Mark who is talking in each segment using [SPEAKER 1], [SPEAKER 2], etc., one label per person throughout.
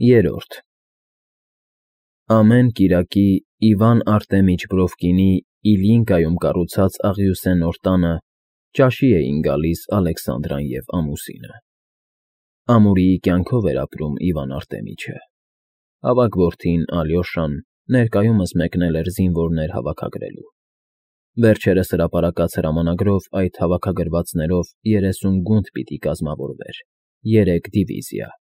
[SPEAKER 1] Երրորդ Ամեն կիրակի Իվան Արտեմիչ Բրովկինի Իլյինկայում կառուցած աղյուսեննոր տանը ճաշի էին գալիս Ալեքսանդրան և ամուսինը։ Ամուրիի կյանքով էր ապրում Իվան Արտեմիչը։ Ավագ որդին Ալյոշան ներկայումս մեկնել էր զինվորներ հավաքագրելու։ Վերջերս հրապարակած հրամանագրով այդ հավաքագրվածներով 30 գունդ պիտի կազմավորվեր, 3 դիվիզիա։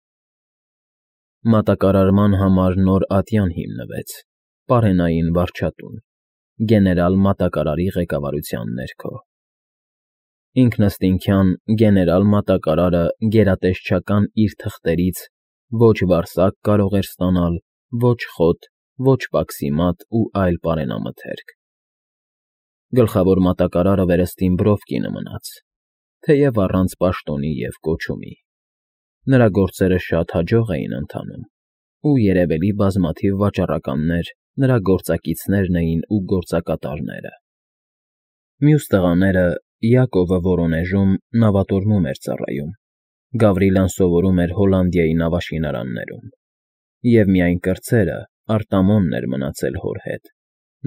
[SPEAKER 1] Մատակարարման համար նոր ատյան հիմնվեց, պարենային վարչատուն, գեներալ մատակարարի ղեկավարության ներքո։ Ինքնըստինքյան գեներալ մատակարարը գերատեսչական իր թղթերից ոչ վարսակ կարող էր ստանալ, ոչ խոտ, ոչ պաքսիմատ ու այլ պարենամթերք։ Գլխավոր մատակարարը վերստին Բրովկինը մնաց, թեև առանց պաշտոնի և կոչումի։ Նրա գործերը շատ հաջող էին ընթանում, ու երևելի բազմաթիվ վաճառականներ նրա գործակիցներն էին ու գործակատարները։ Մյուս տղաները Յակովը Վորոնեժում նավատորմում էր ծառայում, Գավրիլան սովորում էր Հոլանդիայի նավաշինարաններում, և միայն կրտսերը Արտամոնն էր մնացել հոր հետ,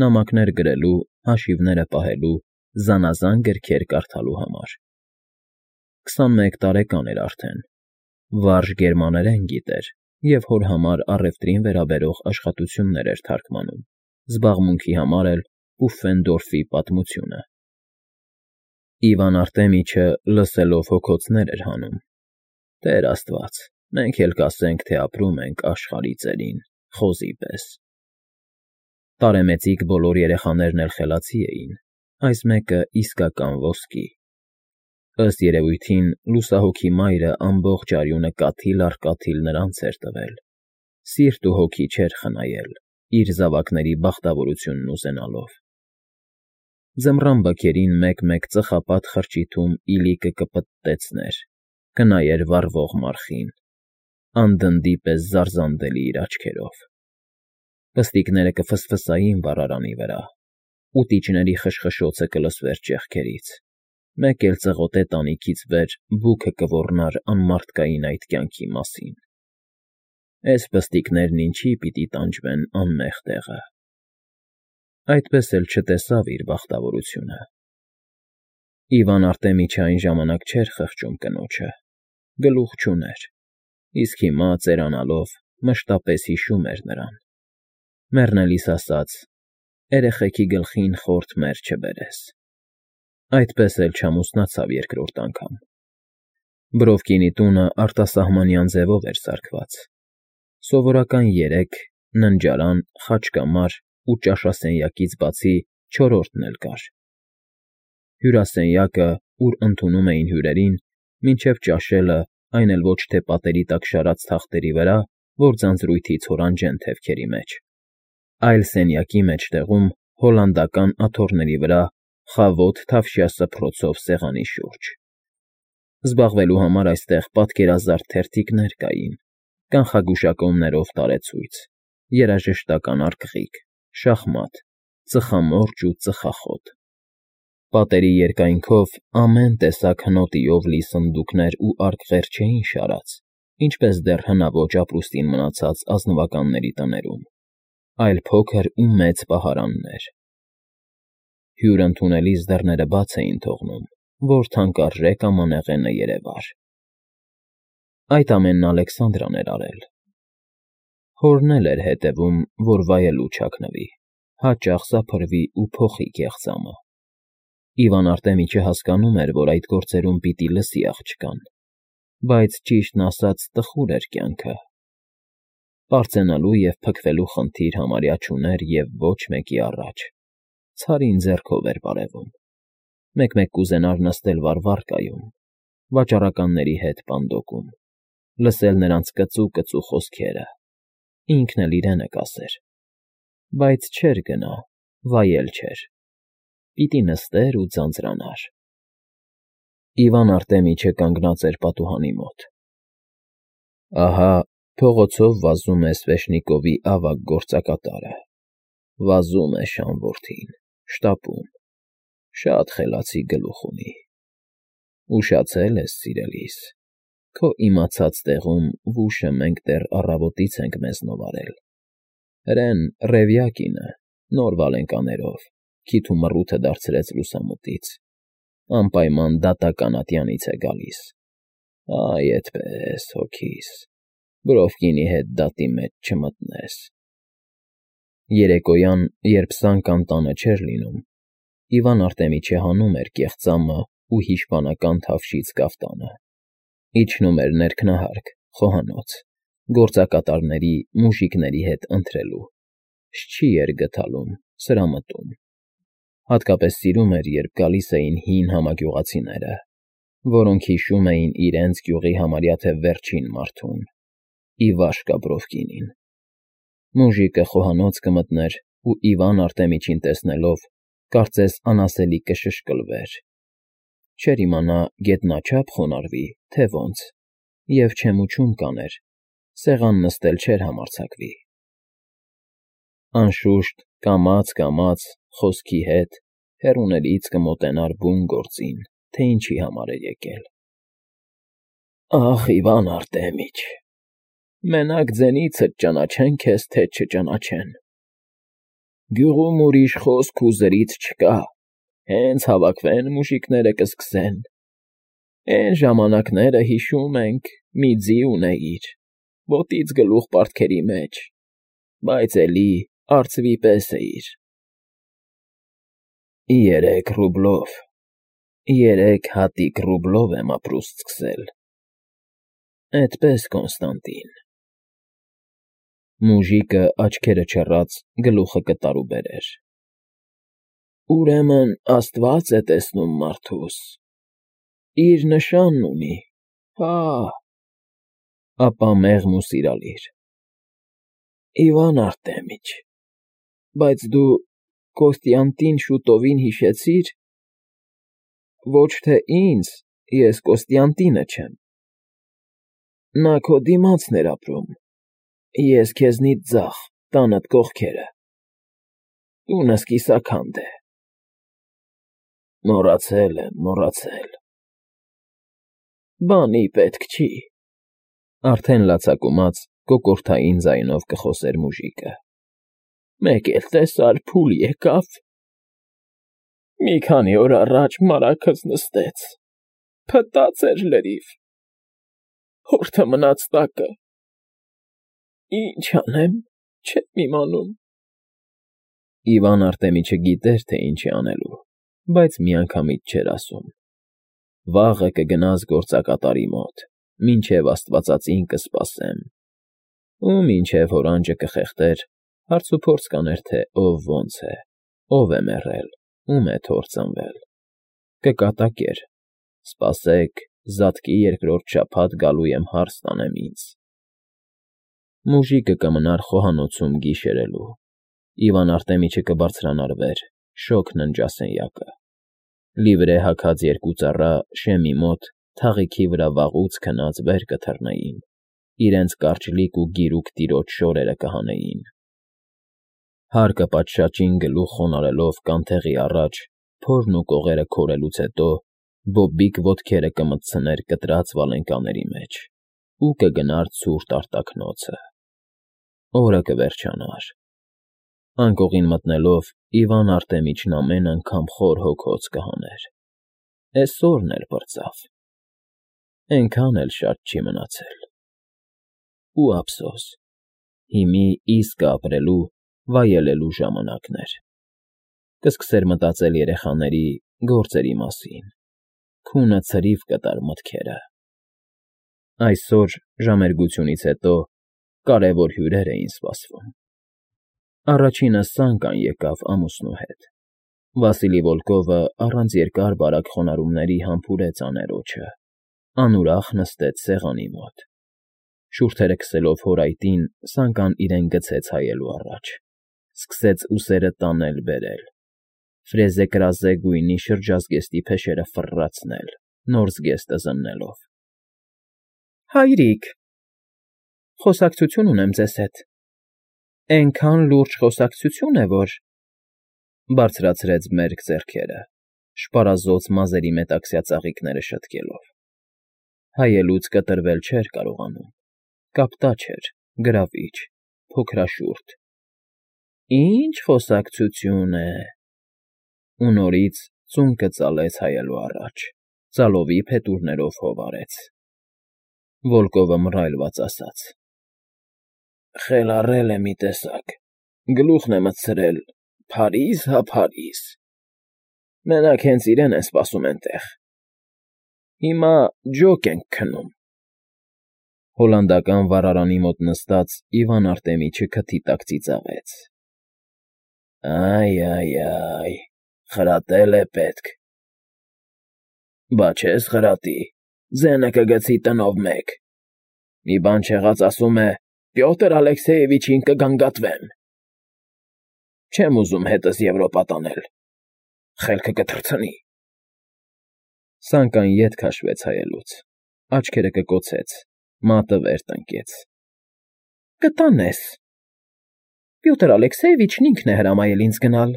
[SPEAKER 1] նամակներ գրելու, հաշիվները պահելու, զանազան գրքեր կարդալու համար։ 21 տարեկան էր արդեն, վարժ գերմաներեն գիտեր և հոր համար առևտրին վերաբերող աշխատություններ էր թարգմանում, զբաղմունքի համար էլ Պուֆֆենդորֆի պատմությունը։ Իվան Արտեմիչը լսելով հոգոցներ էր հանում. «Տեր Աստված, մենք էլ կասենք, թե ապրում ենք աշխարհի ծերին, խոզի պես»։ Տարեմեծիկ բոլոր երեխաներն էլ խելացի էին, այս մեկը իսկական ոսկի։ Ըստ երևույթին, լուսահոգի մայրը ամբողջ արյունը կաթիլ առ կաթիլ նրանց էր տվել, սիրտ ու հոգի չէր խնայել, իր զավակների բախտավորությունն ուզենալով։ Ձմռան բքերին մեկ-մեկ ծխապատ խրճիթում իլիկը կպտտեցներ, կնայեր վառվող մարխին, անդնդի պես զարզանդելի իր աչքերով։ Պստիկները կֆսֆսային վառարանի վրա, ուտիչների խշխշոցը կլսվեր ճեղքերից, մեկ էլ ծղոտե տանիքից վեր բուքը կոռնար անմարդկային այդ կյանքի մասին։ Էս պստիկներն ինչի պիտի տանջվեն անմեղ տեղը։ Այդպես էլ չտեսավ իր բախտավորությունը։ Իվան Արտեմիչը այն ժամանակ չէր խղճում կնոջը, գլուխ չուներ, իսկ հիմա, ծերանալով, մշտապես հիշում էր նրան։ Մեռնելիս ասաց. «Երեխեքի գլխին խորթ մեռ չբերես»։ Այդպես էլ չամուսնացավ երկրորդ անգամ։ Բրովկինի տունը արտասահմանյան ձևով էր սարքված։ Սովորական 3, ննջարան, խաչկամար ու ճաշասենյակից բացի չորրորդն էլ կար։ Հյուրասենյակը, ուր ընդունում էին հյուրերին, մինչև ճաշելը, այն էլ ոչ թե պատերի տակ շարած թախտերի վրա, որ ձանձրույթի ցորանջեն թևքերի մեջ, այլ սենյակի մեջտեղում, հոլանդական աթոռների վրա, խավոտ թավշյա սփռոցով սեղանի շուրջ։ Զբաղվելու համար այստեղ պատկերազարդ թերթիկներ կային, կանխագուշակոմներով տարեցույց, երաժշտական արկղիկ, շախմատ, ծխամորճ ու ծխախոտ։ Պատերի երկայնքով ամեն տեսակ հնոտիով լի սնդուկներ ու արկղեր չէին շարած, ինչպես դեռ հնաոճ ապրուստին մնացած ազնվականների տներում, այլ փոքր ու մեծ պահարաններ։ Հյուր ընդունելիս դռները բաց էին թողնում, որ թանկարժեք ամանեղենը երևար։ Այդ ամենն Ալեքսանդրան էր արել։ Հորն էլ էր հետևում, որ վայելուչ հագնվի, հաճախ սափրվի ու փոխի կեղծամը։ Իվան Արտեմիչը հասկանում էր, որ այդ գործերում պիտի լսի աղջկան, բայց ճիշտն ասած տխուր էր կյանքը։ Պարծենալու և փքվելու խնդիր համարյա չուներ և ոչ մեկի առաջ, ցարին ձեռքով էր բարևում։ Մեկ-մեկ կուզենար նստել վառվռկայում, վաճառականների հետ պանդոկում, լսել նրանց կծու խոսքերը, ինքն էլ իրենը կասեր, բայց չէր գնա, վայել չէր, պիտի նստեր ու ձանձրանար։ Իվան Արտեմիչը կանգնած էր պատուհանի մոտ։ Ահա փողոցով վազում է Սվեշնիկովի ավագ գործակատարը, վազում է շան որդին, շտապում, շատ խելացի գլուխ ունի։ Ուշացել ես, սիրելիս, Քո իմացած տեղում վուշը մենք դեռ առավոտից ենք մեզնով արել։ Հրեն Ռևյակինը, նոր վալենկաներով, քիթ ու մռութը դարձրեց լուսամուտից, անպայման դատական ատյանից է գալիս։ Այ այդպես, հոգիս, Բրովկինի հետ դատի մեջ չմտնես։ Երեկոյան, երբ Սանկան տանը չէր լինում, Իվան Արտեմիչը հանում էր կեղծամը ու հիշպանական թավշից կաֆտանը, իջնում էր ներքնահարկ, խոհանոց, գործակատարների, մուժիկների հետ ընթրելու, շչի էր գթալում, սրամտում։ Հատկապես սիրում էր, երբ գալիս էին հին համագյուղացիները, որոնք հիշում էին իրենց գյուղի համարյա թե վերջին մարդուն՝ Իվաշկա Բրովկինին։ Մուժիկը խոհանոց կմտներ ու Իվան Արտեմիչին տեսնելով, կարծես անասելի կշշկլվեր։ Չէր իմանա գետնաչափ խոնարհվի, թե ոնց, և չեմուչում կաներ, սեղան նստել չէր համարձակվի։ Անշուշտ, կամաց, խոսքի հետ հեռուներից կմոտենար բուն գործին, թե ինչի համար էր եկել։ Ախ, Իվան Արտեմիչ, մենակ ձենիցդ ճանաչեն քեզ, թե չճանաչեն։ Գյուղում ուրիշ խոսք ու զրից չկա, հենց հավաքվեն մուժիկները կսկսեն։ Էն ժամանակները հիշում ենք, մի ձի ունեիր, ոտից գլուխ պարտքերի մեջ, բայց էլի արծվի պես էիր։ 3 ռուբլով, 3 հատիկ ռուբլով եմ ապրուստ սկսել։ Էդպես, Կոնստանտին։ Մուժիկը աչքերը չռած գլուխը կտարուբերեր։ Ուրեմն Աստված է տեսնում մարդուս, իր նշանն ունի, հա։ Ապա մեղմ ու սիրալիր։ Իվան Արտեմիչ, բայց դու Կոստյանտին շուտովին հիշեցի՞ր։ Ոչ թե ինձ, ես Կոստյանտինը չեմ։ Նա քո դիմացն էր ապրում, ես քեզնից ձախ, տանդ կողքերը։ Տունս կիսաքանդ է։ Մոռացել եմ։ Բանի պետք չի։ Արդեն լացակումած կոկորդային ձայնով կխոսեր մուժիկը։ Մեկ էլ տեսար փուլ եկավ։ Մի քանի օր առաջ մարագս նստեց, փտած էր լրիվ, հորթը մնաց տակը։ Ինչ անեմ, չեմ իմանում։ Իվան Արտեմիչը գիտեր, թե ինչ է անելու, բայց միանգամից չէր ասում։ Վաղը կգնաս գործակատարի մոտ, մինչև աստվածածին կսպասեմ։ Ու մինչև հորանջը կխեղդեր, հարցուփորձ կաներ, թե ով ոնց է, ով է մեռել, ում է թոռ ծնվել։ Կկատակեր. սպասեք, զատկի երկրորդ շաբաթ գալու եմ հարս տանեմ ինձ։ Մուժիկը կմնար խոհանոցում գիշերելու։ Իվան Արտեմիչը կբարձրանար վեր, շոգ ննջասենյակը։ Լիվրե հագած 2 ծառա շեմի մոտ թաղիքի վրա վաղուց քնած վեր կթռնեին, իրենց կարճլիկ ու գիրուկ տիրոջ շորերը կհանեին։ Հարկը պատշաճին գլուխ խոնարհելով կանթեղի առաջ, փորն ու կողերը քորելուց հետո բոբիկ ոտքերը կմտցներ կտրած վալենկաների մեջ ու կգնար ցուրտ արտաքնոցը։ Օրը կվերջանար։ Անկողին մտնելով Իվան Արտեմիչն ամեն անգամ խոր հոգոց կհաներ։ Էսօրն էլ պրծավ։ Էնքան էլ շատ չի մնացել։ Ու ափսոս, հիմի իսկ ապրելու, վայելելու ժամանակներ։ Կսկսեր մտածել երեխաների, գործերի մասին։ Քունը ցրիվ կտար մտքերը։ Այսօր, ժամերգությունից հետո, կարևոր հյուրեր էին սպասվում։ Առաջինը Սանկան եկավ ամուսնու հետ։ Վասիլի Վոլկովը առանց երկար-բարակ խոնարհումների համբուրեց աներոջը, անուրախ նստեց սեղանի մոտ։ Շուրթերը քսելով հորայտին, Սանկան իրեն գցեց հայելու առաջ, սկսեց ուսերը տանել֊բերել, ֆրեզե֊կրազե գույնի շրջազգեստի փեշերը ֆռռացնել, նոր զգեստը զննելով։ Հայրիկ, խոսակցություն ունեմ ձեզ հետ։ Էնքան լուրջ խոսակցություն է, որ… Բարձրացրեց մերկ ձեռքերը, շպարազոծ մազերի մետաքսյա ծաղիկները շտկելով։ Հայելուց կտրվել չէր կարողանում, կապտաչ էր, գրավիչ, փոքրաշուրթ։ Ինչ խոսակցություն է… Ու նորից ծունկը ծալեց հայելու առաջ, ծալովի փետուրներով հով արեց։ Վոլկովը մռայլված ասաց. Խելառել է մի տեսակ, գլուխն է մտցրել, Փարիզ, հա Փարիզ, մենակ հենց իրեն են սպասում էնտեղ, հիմա ջոկ ենք քնում։ Հոլանդական վառարանի մոտ նստած Իվան Արտեմիչը քթի տակ ծիծաղեց. Այ, խրատել է պետք։ Բա չես խրատի, ձենը կգցի տնով մեկ։ Մի բան չեղած ասում է, Պյոտր Ալեքսեևիչին կգանգատվեմ։ Չեմ ուզում հետս Եվրոպա տանել, խելքը կթռցնի։ Սանկան ետ քաշվեց հայելուց, աչքերը կկոցեց, մատը վեր տնկեց։ Կտանես։ Պյոտր Ալեքսեևիչն ինքն է հրամայել ինձ գնալ,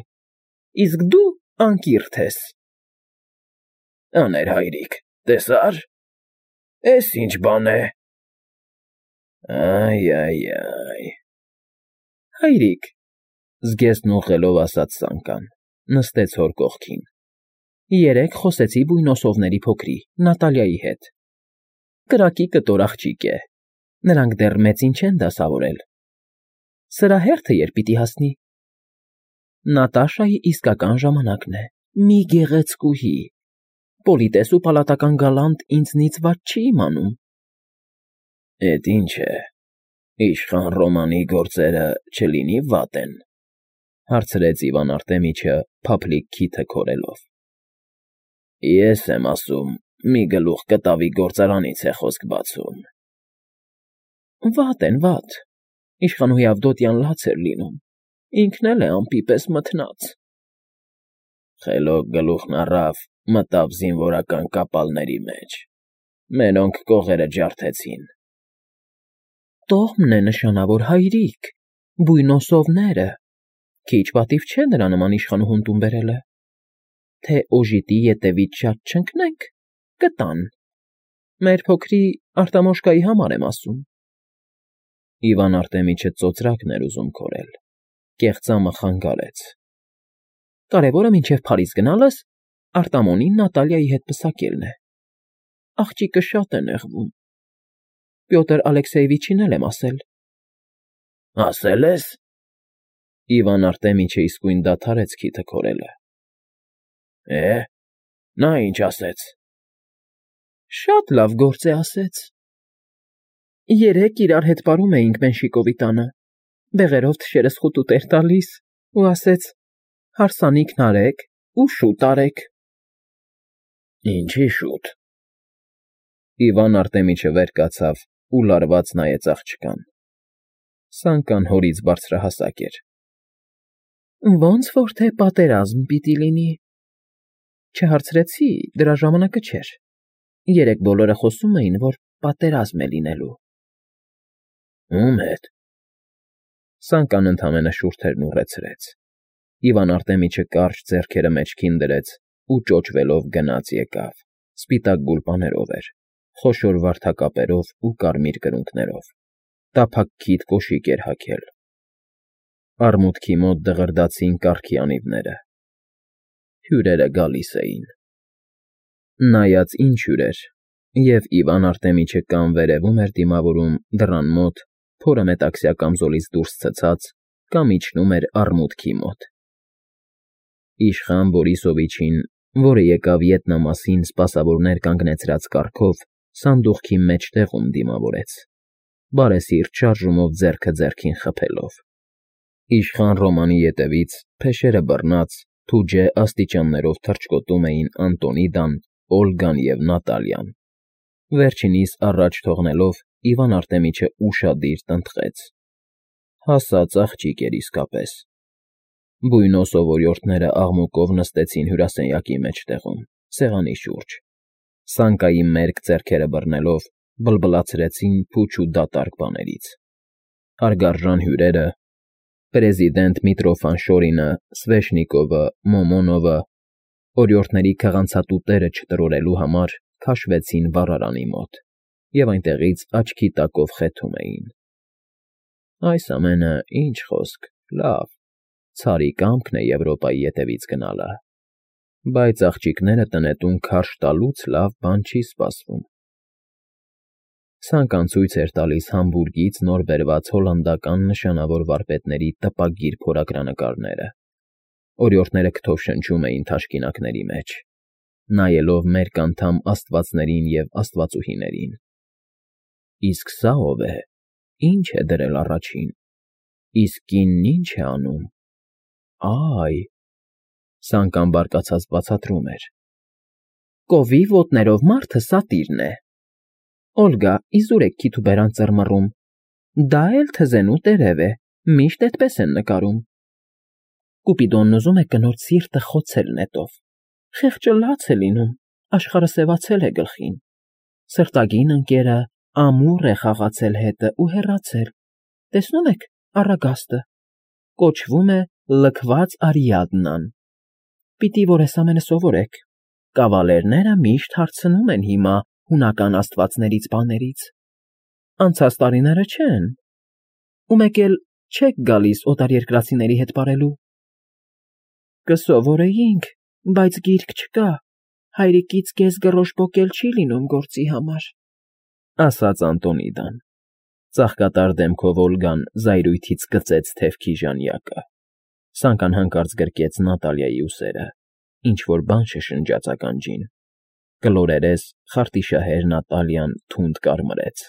[SPEAKER 1] իսկ դու անկիրթ ես։ Աներ հայրիկ, տեսա՞ր, էս ինչ բան է։ Այ… Հայրիկ, զգեստն ուղղելով ասաց Սանկան, նստեց հոր կողքին։ Երեկ խոսեցի բույնոսովների փոքրի, Նատալիայի հետ։ Կրակի կտոր աղջիկ է, նրանք դեռ մեծին չեն դասավորել։ Սրա հերթը երբ պիտի հասնի։ Նատաշայի իսկական ժամանակն է, մի գեղեցկուհի, պոլիտես ու պալատական գալանտ ինձնից վատ չի իմանում։ Էդ ինչ է, իշխան Ռոմանի գործերը չլինի վատ են, հարցրեց Իվան Արտեմիչը փափլիկ քիթը քորելով։ Ես եմ ասում, մի գլուխ կտավի գործարանից է խոսք բացում։ Վատ են, վատ, իշխանուհի Ավդոտյան լաց էր լինում, ինքն էլ է ամպի պես մթնած։ Խելոք գլուխն առավ, մտավ զինվորական կապալների մեջ, մերոնք կողերը ջարդեցին։ Տոհմն է նշանավոր, հայրիկ, բույնոսովները, քիչ պատիվ չէ նրա նման իշխանուհուն տուն բերելը, թե օժիտի ետևից շատ չընկնենք, կտան, մեր փոքրի Արտամոշկայի համար եմ ասում։ Իվան Արտեմիչը ծոծրակն էր ուզում քորել, կեղծամը խանգարեց։ Կարևորը մինչև Փարիզ գնալս Արտամոնին Նատալիայի հետ պսակելն է։ Աղջիկը շատ է նեղվում։ Պյոտր Ալեքսեևիչին էլ եմ ասել։ Ասել ես։ Իվան Արտեմիչը իսկույն դադարեց քիթը քորելը։ Նա ինչ ասեց։ Շատ լավ գործ է ասեց։ Երեկ իրար հետ պարում էինք Մենշիկովի տանը, բեղերով թշերս խուտուտ էր տալիս, ու ասեց. հարսանիքն արեք ու շուտ արեք։ Ինչի շուտ։ Իվան Արտեմիչը վեր կացավ ու լարված նայեց աղջկան։ Սանկան հորից բարձրահասակ էր։ Ոնց որ թե պատերազմ պիտի լինի։ Չհարցրեցի, դրա ժամանակը չէր։ Երեկ բոլորը խոսում էին, որ պատերազմ է լինելու։ Ում հետ։ Սանկան ընդամենը շուրթերն ուռեցրեց։ Իվան Արտեմիչը կարճ ձեռքերը մեջքին դրեց ու ճոճվելով գնաց եկավ, սպիտակ գուլպաներով էր, խոշոր վարդակապերով ու կարմիր կրունկներով, տափակ քիթ կոշիկ էր հագել։ Արմուտքի մոտ դղրդացին կառքի անիվները։ Հյուրերը գալիս էին։ Նայած ինչ հյուրեր, և Իվան Արտեմիչը կամ վերևում էր դիմավորում դռան մոտ, փորը մետաքսյա կամզոլից դուրս ցցած, կամ իջնում էր արմուտքի մոտ։ Իշխան Բորիսովիչին, որը եկավ ետնամասին սպասավորներ կանգնեցրած կառքով, սանդուղքի մեջտեղում դիմավորեց, բարեսիրտ շարժումով ձեռքը ձեռքին խփելով։ Իշխան Ռոմանի ետևից, փեշերը բռնած, թուջե աստիճաններով թռչկոտում էին Անտոնիդան, Օլգան և Նատալիան։ Վերջինիս առաջ թողնելով Իվան Արտեմիչը ուշադիր տնտղեց։ Հասած աղջիկ էր իսկապես։ Բույնոսով օրիորդները աղմուկով նստեցին հյուրասենյակի մեջտեղում, սեղանի շուրջ։ Սանկայի մերկ ձեռքերը բռնելով բլբլացրեցին փուչ ու դատարկ բաներից։ Հարգարժան հյուրերը, պրեզիդենտ Միտրոֆան-Շորինը, Սվեշնիկովը, Մոմոնովը, օրիորդների քղանցատուտերը չտրորելու համար քաշվեցին վառարանի մոտ։ և այնտեղից աչքի տակով խեթում էին. «Այս ամենը, ինչ խոսք, լավ, ցարի կամքն է Եվրոպայի ետևից գնալը, բայց աղջիկները տնետուն քարշ տալուց լավ բան չի սպասվում»։ Սանկան ցույց էր տալիս Համբուրգից նոր բերված հոլանդական նշանավոր վարպետների տպագիր փորագրանկարները. օրիորդները քթով շնչում էին թաշկինակների մեջ, նայելով մերկ անդամ աստվածներին և աստվածուհիներին։ Իսկ սա ո՞վ է, ի՞նչ է դրել առաջին, իսկ կինն ի՞նչ է անում։ Այ… Սանկան բարկացած բացատրում էր. «Կովի ոտներով մարդը սատիրն է։ Օլգա, իզուր եք քիթուբերան ծռմռում, դա էլ թզենու տերև է, միշտ էդպես են նկարում։ Կուպիդոնն ուզում է կնոջ սիրտը խոցել նետով, խեղճը լաց է լինում, աշխարհը սևացել է գլխին, սրտագին ընկերը ամուր է խաղացել հետը ու հեռացել, տեսնում եք առագաստը, կոչվում է Լքված Արիադնան։ Պիտի որ էս ամենը սովորեք, կավալերները միշտ հարցնում են հիմա հունական աստվածներից բաներից, անցած տարիները չեն, ու մեկ էլ չեք գալիս օտարերկրացիների հետ պարելու։ Կսովորեինք, բայց գիրք չկա, հայրիկից կես գռոշ պոկել չի լինում գործի համար», ասաց Անտոնիդան։ Ծաղկատար դեմքով Օլգան զայրույթից կծեց թևքի ժանյակը։ Սանկան հանկարծ գրկեց Նատալիայի ուսերը, ինչ֊որ բան շշնջաց ականջին։ Կլորերես խարտիշահեր Նատալիան թունդ կարմրեց։